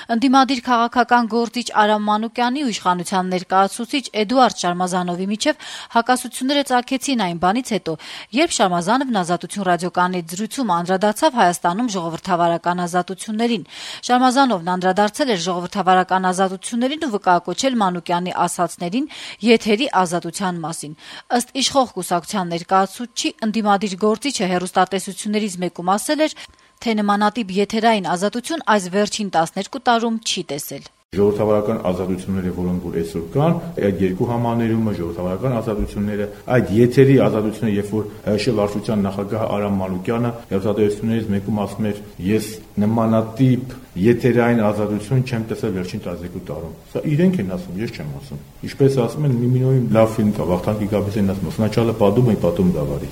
Ընդդիմադիր քաղաքական գործիչ Արամ Մանուկյանի ու իշխանության ներկայացուցիչ Էդուարդ Շարմազանովի միջև հակասությունները ծագեցին այն բանից հետո, երբ Շարմազանովն Ազատություն ռադիոկայանի զրույցում անդրադարձավ Հայաստանում ժողովրդավարական ազատություններին։ Շարմազանովն անդրադարձել էր ժողովրդավարական ազատություններին ու վկայակոչել Մանուկյանի ասացներին եթերի ազատության մասին։ Ըստ իշխող կուսակցության ներկայացուցչի, ընդդիմադիր գործիչը հեռուստատեսություններից մեկում ասել էր, թե նմանատիպ եթերային ազատություն այս վերջին 12 տարում չի տեսել։ Ժողովրդավարական ազատությունները, որոնք որ այսօր կան, այդ երկու համաներումը ժողովրդավարական ազատությունները, այդ եթերի ազատությունը, երբ որ ՀՀՇ վարչության նախագահ Արամ Մանուկյանը հեռուստատեսություններից մեկում ասում էր, ես նմանատիպ եթերային ազատություն չեմ տեսել վերջին 12 տարում։ Սա իրենք են ասում, ես չեմ ասում։ Ինչպես ասում են, Միմինոյին լավ ֆիլմ կա, Վախթանգ Գիգաբիսյանն ասում, սначала подумай, потом говори։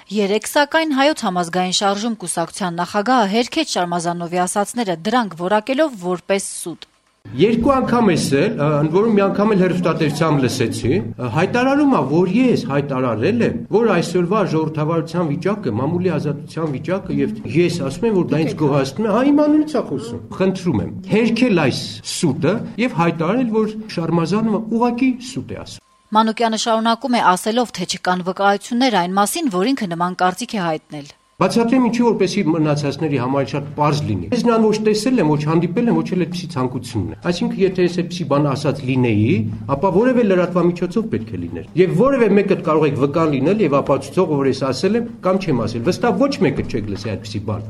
Երեկ սակայն Հայոց համազգային շարժում կուսակցության նախագահը հերքեց Շարմազանովի ասացները, դրանք որակելով որպես սուտ։ Երկու անգամ էսել, ընդ որում մի անգամ էլ հեռուստատեսությամբ լսեցի, հայտարարում է, որ ես հայտարարել եմ, որ այսօրվա ժողովրդավարության վիճակը, մամուլի ազատության վիճակը եւ ես ասում եմ, որ դա ինձ գոհացնում է, իմանալից է խոսում։ Խնդրում եմ, հերքել այս սուտը եւ հայտարարել, որ Շարմազանովը ուղղակի սուտ է ասում։ Մանուկյանը շարունակում է ասելով, թե չկան վկայություններ այն մասին, որ ինքը նման կարծիք է հայտնել։ Բացատրեմ ինչի, որպեսզի մնացածների համար շատ պարզ լինի։ Ես նրան ոչ տեսել եմ, ոչ հանդիպել եմ, ոչ էլ այդպիսի ցանկությունն է։ Այսինքն, եթե ես այդպիսի բան ասած լինեի, ապա որևէ լրատվամիջոցով պետք է լիներ։ Եվ որևէ մեկը կարող եք վկան լինել եւ ապացուցող, որ ես ասել եմ կամ չեմ ասել։ Վստահ ոչ մեկը չեք լսի այդպիսի բան։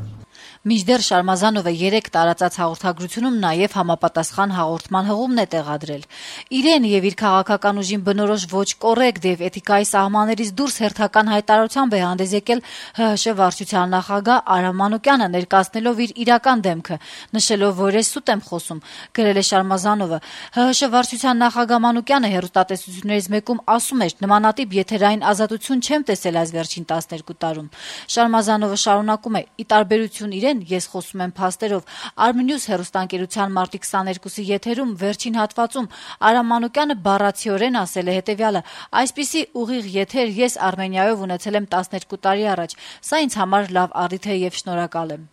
Մինչդեռ Շարմազանովը երեկ տարածած հաղորդագրությունում նաև համապատասխան հաղորդման հղումն է տեղադրել։ Իրեն եւ իր քաղաքական ուժին բնորոշ ոչ կոռեկտ եւ էթիկայի սահմաններից դուրս հերթական հայտարարությամբ է հանդես եկել ՀՀՇ վարչության նախագահ Արամ Մանուկյանը, ներկայացնելով իր իրական դեմքը, նշելով, որ ես սուտ եմ խոսում, գրել է Շարմազանովը։ ՀՀՇ վարչության նախագահ Մանուկյանը հեռուստատեսություններից մեկում ասում էր, նմանատիպ եթերային ազատություն չեմ տեսել այս վերջին 12 տարում։ Շարմազանովը շարունակում է. ի տարբերություն իրեն ես խոսում եմ փաստերով։ Armenius հեռուստաընկերության մարտի 22-ի եթերում վերջին հատվածում Արամ Մանուկյանը բառացիորեն ասել է հետևյալը. այսպիսի ուղիղ եթեր ես Արմենիայով ունեցել եմ 12 տարի առաջ։ Սա ինձ համար լավ առիթ է եւ շնորհակալ եմ։